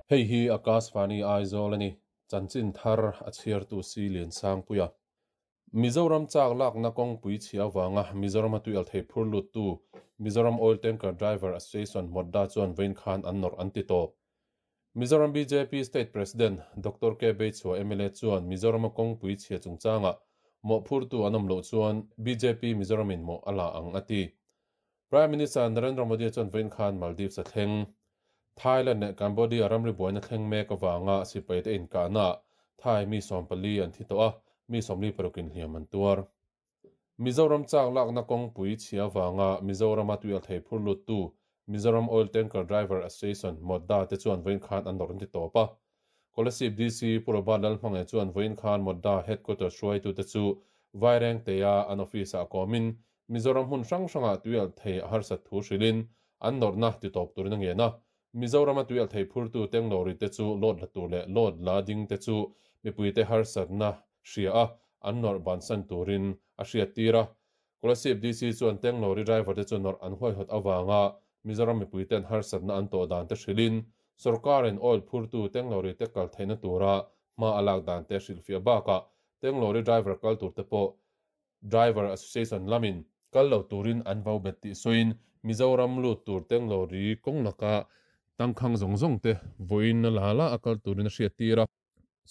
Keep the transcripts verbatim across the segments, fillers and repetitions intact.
Hei hi Akashvani Aizawl a ni. Chanchin thar a chhiartu si Lian Sangpuia. Mizoram chak lakna kawngpui chhia awanga Mizoram a tuialthei phur luttu Mizoram Oil Tanker Driver Association MOTDA chuan vawiin khan an nawrh an ti tawp. Mizoram B J P State President Doctor K Beichhua M L A chuan Mizoram a kawngpui chhia chungchanga mawhphurtu an awm loh chuan B J P Mizoramin mawh a la ang a ti. Prime Minister Narendra Modi chuan vawiin khan Maldives a thleng. Thailand leh Cambodia ramri buaina thleng mek awanga sipai te inkahna Thai mi sawmpali an thi tawh a, mi sawmli parukin hliam an tuar. Mizoram chak lakna kawngpui chhia awanga Mizoram a tuialthei phur luttu Mizoram Oil Tanker Driver Association MOTDA te chuan vawiin khan an nawrh an ti tawp a. Kolasib D C Pu Robert Lalhmangaih chuan vawiin khan MOTDA headquarters hruaitu te chu Vairengtea an office ah kawmin Mizoram hmun hrang hrangah tuialthei a harsat thu hrilhin an nawrhna ti tawp turin a ngen a. Mizoram a tuialthei phurtu tank lorry te chu load la tur leh load la ding te chu mipui te harsatna hria a an nawrh bansan turin a hriat tir a. Kolasib D C chuan tank lorry driver te chu nawrh an huaihawt awanga Mizoram mipui ten harsatna an tawh dan te hrilhin sarkarin oil phurtu tank lorry te kal theihna tura hma a lak dan te hrilhfiah bakah tank lorry driver kal tur te pawh Driver Association lamin kal lo turin an vo bet tih sawiin Mizoram lut tur tank lorry kawng laka tangkhang zawng zawng te vawiin a la la a kal turin a hriat tir a.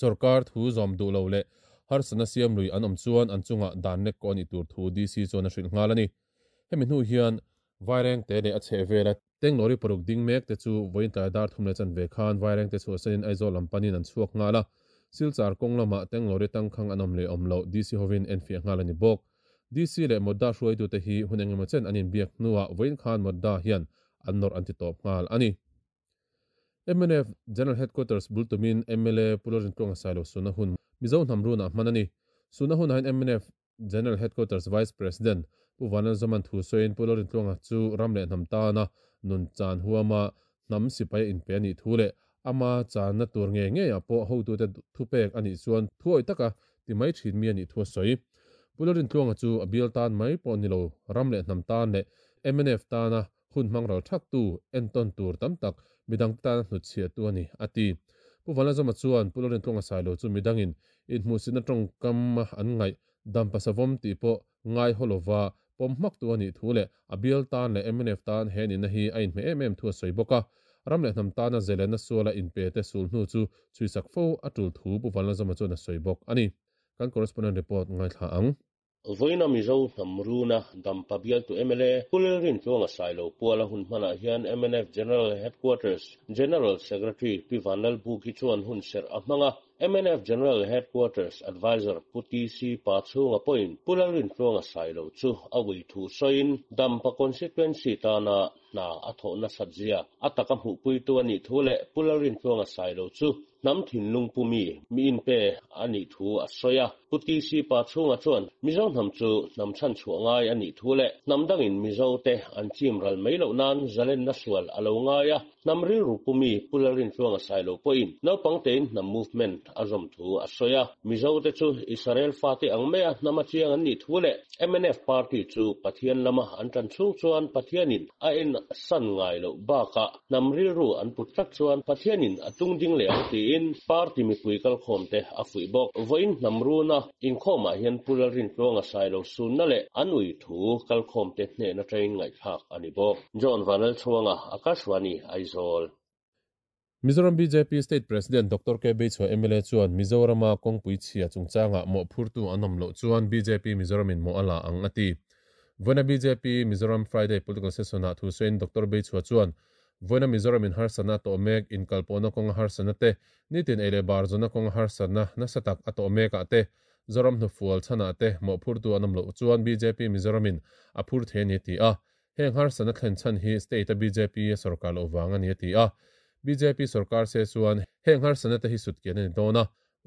Sarkar thu zawm duh lo leh harsatna siam lui an awm chuan an chungah dan lek kaw a nih tur thu D C chuan a hrilh nghal a ni. Hemi hnu hian Vairengte leh a chheh vela tank lorry paruk ding mek te chu vawiin tlai dar thum leh chan ve khan Vairengte chhuah sanin Aizawl lam panin an chhuak nghal a. Silchar kawng lamah tank lorry tangkhang an awm leh awm lo D C hovin en fiah nghal a ni bawk. D C leh MOTDA hruaitu te hi hun engemaw chen an inbiak hnuah vawiin khan MOTDA hian an nawrh an ti tawp nghal a ni. M N F General Headquarters bultumin M L A Pu Lalrintluanga Sailo suna hun Mizo hnam runah hman a ni. Suna hunah hian M N F General Headquarters Vice President Pu Vanlalzoman thu sawiin Pu Lalrintluanga chu ram leh hnam tana nun chan huama hnam sipai a inpe a nih thu leh ama channa tur nge nge ah pawh hotute thupek a nih chuan thuawi taka ti mai thin mi a nih thu a sawi. Pu Lalrintluanga chu a bial tan mai pawh ni lo ram leh hnam tan leh M N F tana hun hmang ral thak tu entawn tur tam tak midang tana hnutchhiah tu a ni a ti. Pu Vanlalzawma chuan Pu Lalrintluanga Sailo chu midangin inhmuhsitna tawngkam an ngaih dampa savawm tih pawh ngai haw lova pawm hmak tu a nih thu leh a bial tan leh M N F tan he nihna hi a inhmeh em em thu a sawi bawk a. Ram leh hnam tana zelena suala inpe te sul hnu chu chhuisak fo a tul thu Pu Vanlalzawma chuan a sawi bawk a ni. Kan correspondent report ngaithla ang. Vawiina Mizo hnam runa dampa bialtu M L A Pu Lalrintluanga Sailo puala hun hmanah hian M N F General Headquarters General Secretary Pi Vanlalbuki chuan hun serh a hmanga. M N F General Headquarters Advisor Pu T C Pachhunga pawhin Pu Lalrintluanga Sailo chu a ui thu sawiin dampa constituency tana hna a thawhna satzia a taka hmuhpuitu a nih thu leh Pu Lalrintluanga Sailo chu hnam thinlung pumi mi inpe a nih thu a sawi a. Pu T C Pachhunga chuan Mizo hnam chu hnam chhan chhuah ngai a nih thu leh hnam dangin Mizo te an chim ral mai loh nan zalenna sual a lo ngai a. Hnam rilru pumi Pu Lalrintluanga Sailo pawhin naupang tein hnam movement a zawm thu a sawi a. Mizo te chu Israel fate ang mai a hnam a chiang an nih thu leh M N F party chu Pathian lama an tan chhung chuan Pathianin a en san ngai loh bakah hnam rilru an put tlat chuan Pathianin a tung ding leh ang tiin party mipui kalkhawm te a fuih bawk. Vawiin hnam runa inkhawmah hian Pu Lalrintluanga Sailo sunna leh an ui thu kalkhawm te hnehna train ngaihthlak a ni bawk. John Vanlalchhuanga, Akashvani, Aizawl. Mizoram B J P State President Doctor K Beichhua M L A chuan Mizorama kawngpui chhia chungchanga mawhphurtu an awm loh chuan B J P Mizoramin mawh a la ang a ti. Vawiina B J P Mizoram Friday Political Session ah thu sawiin Doctor Beichhua chuan vawiina Mizoramin harsatna a tawh mek inkalpawhna kawnga harsatna te nitin ei leh bar zawna kawnga harsatna nasa tak a tawh mekah te Zoram hnufual chhanah te mawhphurtu an awm loh chuan B J P Mizoramin a phur thei a ni a ti a. Heng harsatna thlen chhan hi state a B J P a sarkar loh vang a ni a ti a. B J P sarkar se chuan heng harsatna te hi sut kian a ni dawn a.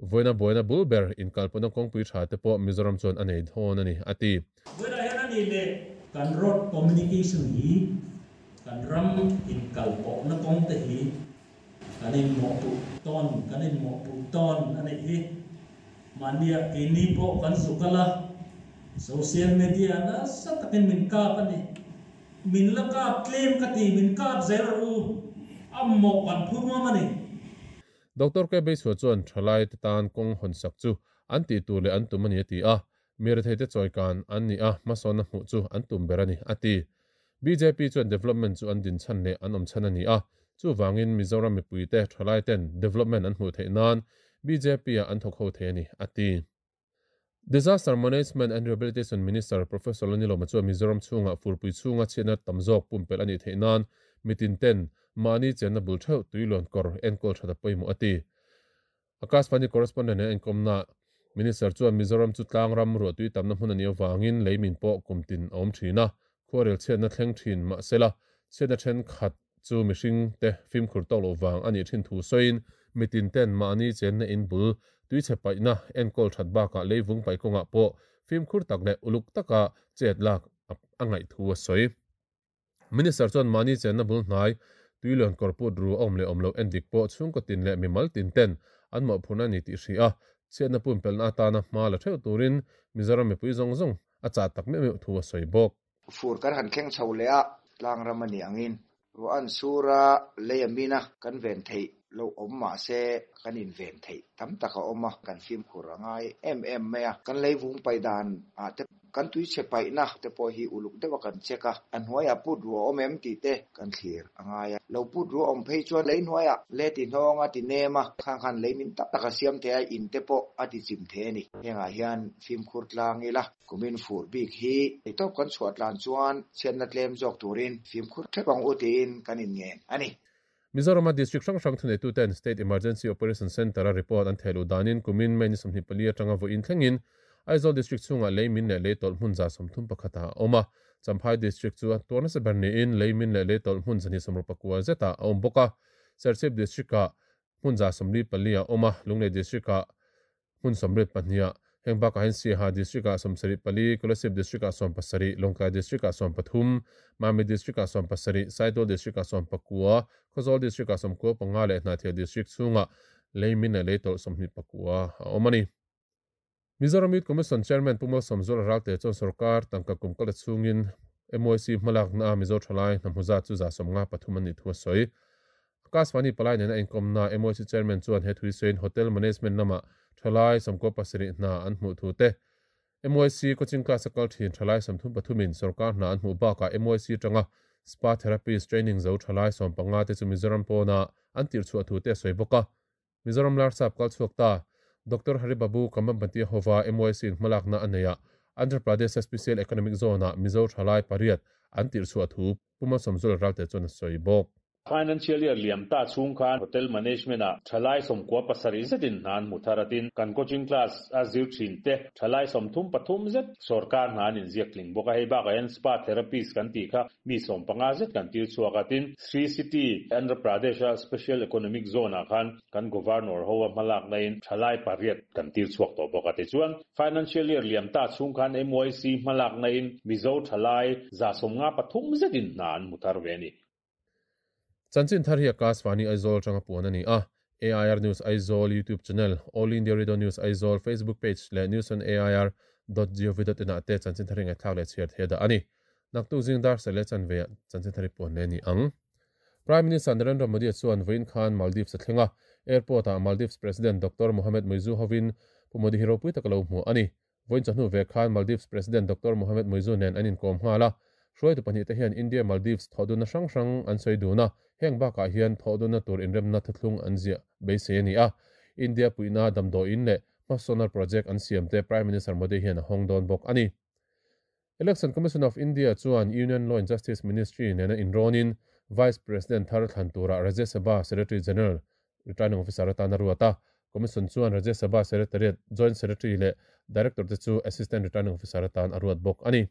Vawiina buaina bul ber inkalpawhna kawngpui tha te pawh Mizoram chuan a nei dawn a ni a ti. Vawiinah hian a ni leh kan road communication hi kan ram inkalpawhna kawng te hi kan inmawhpuh tawn kan inmawhpuh tawn a nih hi. Mahnia keini pawh kan zukal a social media nasa takin min kap a ni. Min la kap tlem ka ti min kap zel rawh u a mawh kan phur ngam a ni. Doctor K Beisua chuan thalai te tan kawng hawn sak chu an tih tur leh an tum ani a ti a mi rethei te chawikan an ni a hmasawnna hmuh chu an tum ber ani a ti B J P chuan development chu an din chhan leh an awm chhan ani a chu wangin Mizoram mipui te thalai ten development an hmuh theih nan B J P a an thawk ho thei ani a ti Disaster Management and Rehabilitation Minister Professor Lanilo Machua Mizoram chunga furpui chunga chena tamzok pumpel ani theinan mitin ten mani chenna bul theu tuilon kor enkol thada poimu ati Akashvani correspondent en komna Minister chuan Mizoram chu tlang ram ru tui tamna hmun ani awangin leimin po kumtin awm thina khorel chena thleng thin ma sela chena then khat chu mihring te fim khur to lo wang ani thin thu soin mitin ten mani chenna in bul tui che paina enkol that ba ka leivung pai konga po fim khur tak le uluk taka chet lak angai thu a soi Minister chuan mani chenna bul hnai tuilon korput ru om le omlo endik po chung ko tin le mimal tin ten an mo phuna ni ti hri a chenna pum pelna ta na ma la theu turin Mizoram mi pui zong zong a cha tak me me thu a soi bok fur kan han thleng chho le a tlang ramani angin ro an sura leamina kan ven thei lo om ma se kan in ven thei tam taka oma kan fim khurangai em em mea kan leivung paidan a te kan tui che pai na te po hi uluk dewa kan cheka an hnuaia put ru om em ti te kan thlir angaya lo put ru om phei chuan lei hnuaia le ti hnonga ti nema khang khan lei min tak taka siam te a in te po ati chim the ni henga hian fim khur tlang ila kumin fur bik hi top kan chuat lan chuan chenna tlem jok turin fim khur thepang utin kan in ngen ani Mizoram District Sang Sang Thune tu ten State Emergency Operation Center a report an thelu danin kumin meni somni pali atanga vo in thlengin Aizawl District chunga leimin le leitol hmun za somthum pakhata oma Champhai District chu torna se berni in leimin le leitol hmun zani somru pakua zeta awm boka Serchhip District a hmun za somli pali a oma Lunglei District a hmun somrit pahnia hengbak a hen Siaha District a somsari pali Kolasib District a som pasari Lawngtlai District a som pathum Mami District a som pasari Saidol District a som pakua Khawzawl District a som ko panga le Hnahthial District chunga leimin le leitol somhni pakua a omani Mizoram Youth Commission Chairman Pumal Somzul Ralte chuan sarkar tangka kum kala chungin M Y C hmalak na Mizo thalai hnamhuza chu za somnga pathum ani thu a sawi Akashvani palai nena inkom na M Y C Chairman chuan he thui sawiin Hotel Management lama thalai samko pasarih hna an hmuh thu te M Y C coaching class a kal thin thalai samthum pathumin sarkar hna an hmuh bakah M Y C tanga spa therapist training zo thalai sawm panga te chu Mizoram pawna an tir chhuah thu te a sawi bawk a Mizoram Larsap kal chhuak ta Doctor Haribabu Kamambati Hova M Y C in hmalak na aneia Andhra Pradesh Special Economic Zone a Mizo thalai pariat an tir chhuah thu Puma Somzul Ralte chuan a sawi bawk Financial year liam ta chung khan hotel management a thalai som kwa pasari zetin nan mutharatin kan coaching class a zir thin te thalai som thum pathum zet sarkar nan in ziakling boka hei ba kan spa therapist kan ti kha mi som panga zet kan tir chuakatin Sri City Andhra Pradesh Special Economic Zone a khan kan governor hoa malak nain thalai pariat kan tir chuak to boka te chuan financial year liam ta chung khan M Y C malak nain Mizo thalai za som nga pathum zetin nan muthar veni Chanchin thar hi Akashvani Aizawl tanga puan ani a A I R News Aizawl YouTube channel All India Radio News Aizawl Facebook page le news on A I R dot gov dot in ate chanchin thar ngai thak le chhiar the da ani naktu jingdar sele chan ve chanchin thari puan le ni ang Prime Minister Narendra Modi chuan Vain Khan Maldives thlenga airport a Maldives President Doctor Mohamed Muizzu hovin Pu Modi hero pui takalo mu ani Vain chanu ve Khan Maldives President Doctor Mohamed Muizzu nen anin kom hala hruai tu pahnih te hian India Maldives thoduna hrang hrang an sawi duna heng bakah hian thoduna tur inremna thuthlung an ziah beisei ani a India puina damdaw in leh hmasawnna project an siam te Prime Minister Modi hian a hawng dawn bawk ani Election Commission of India chuan Union Law and Justice Ministry nena inrawnin Vice President Thar Thlan tura Rajya Sabha Secretary General Returning Officer atana ruata Commission chuan Rajya Sabha Secretariat Joint Secretary leh Director te chu Assistant Returning Officer atan a ruat bawk ani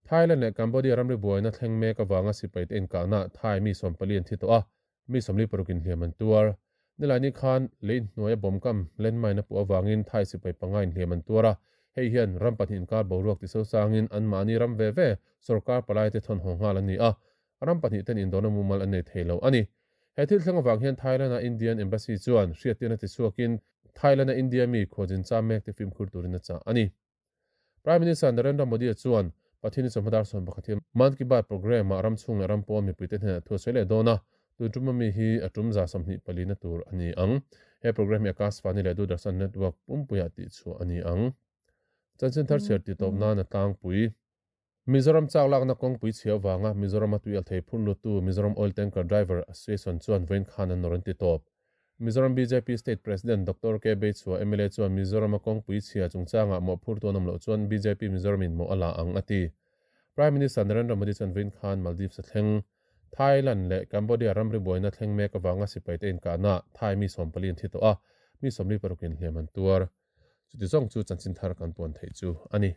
Thailand leh Cambodia ramri buaina thleng mek awanga sipai te inkahna Thai mi sawmpali an thi tawh a mi sawmli parukin hliam an tuar Nilani khan lei hnuaia bawmkam landmine a puh awangin Thai sipai panga in hliam an tuar a hei hian ram pahnih inkar boruak ti so sangin an mahni ram ve ve sarkar palai te thawn haw nghal ani a ram pahnih ten indona mumal an nei theilo ani he thil thleng awang hian Thailand a Indian Embassy chuan hriattirna ti chhuakin Thailand a India mi khawjin cha mek te fimkhur turin a chah ani Prime Minister Narendra Modi chuan Pathini chawhmadar sawn pakhat hian Man Ki Baat program a ram chhung leh ram pawn mipui te hnenah thu a sawi leh dawn a Tun tuma mi hi atum za sawmhnih pali na tur ani ang. He program hi Akashvani leh Doordarshan network pumpuia tih chu ani ang. Chanchin thar chhiar ti tawp nan a tlangpui. Mizoram chak lakna kawngpui chhia wanga Mizoram a tuial thei phur lutu Mizoram Oil Tanker Driver Association chuan vawiin khan an nawr an ti tawp. Mizoram B J P State President Doctor K Beichhua M L A chuan Mizoram a kawngpui chhia chungchanga mawh phur tuan awm loh chuan B J P Mizoram in mawh a la ang a ti. Prime Minister Narendra Modi chuan vawiin khan Maldives a thleng. Thailand leh Cambodia ramri buaina thleng mek awanga sipai te inkahna Thai mi sawmpali an thi tawh a, mi sawmli parukin hliam an tuar. Chuti zawng chu chanchin thar kan puan theih chu ani.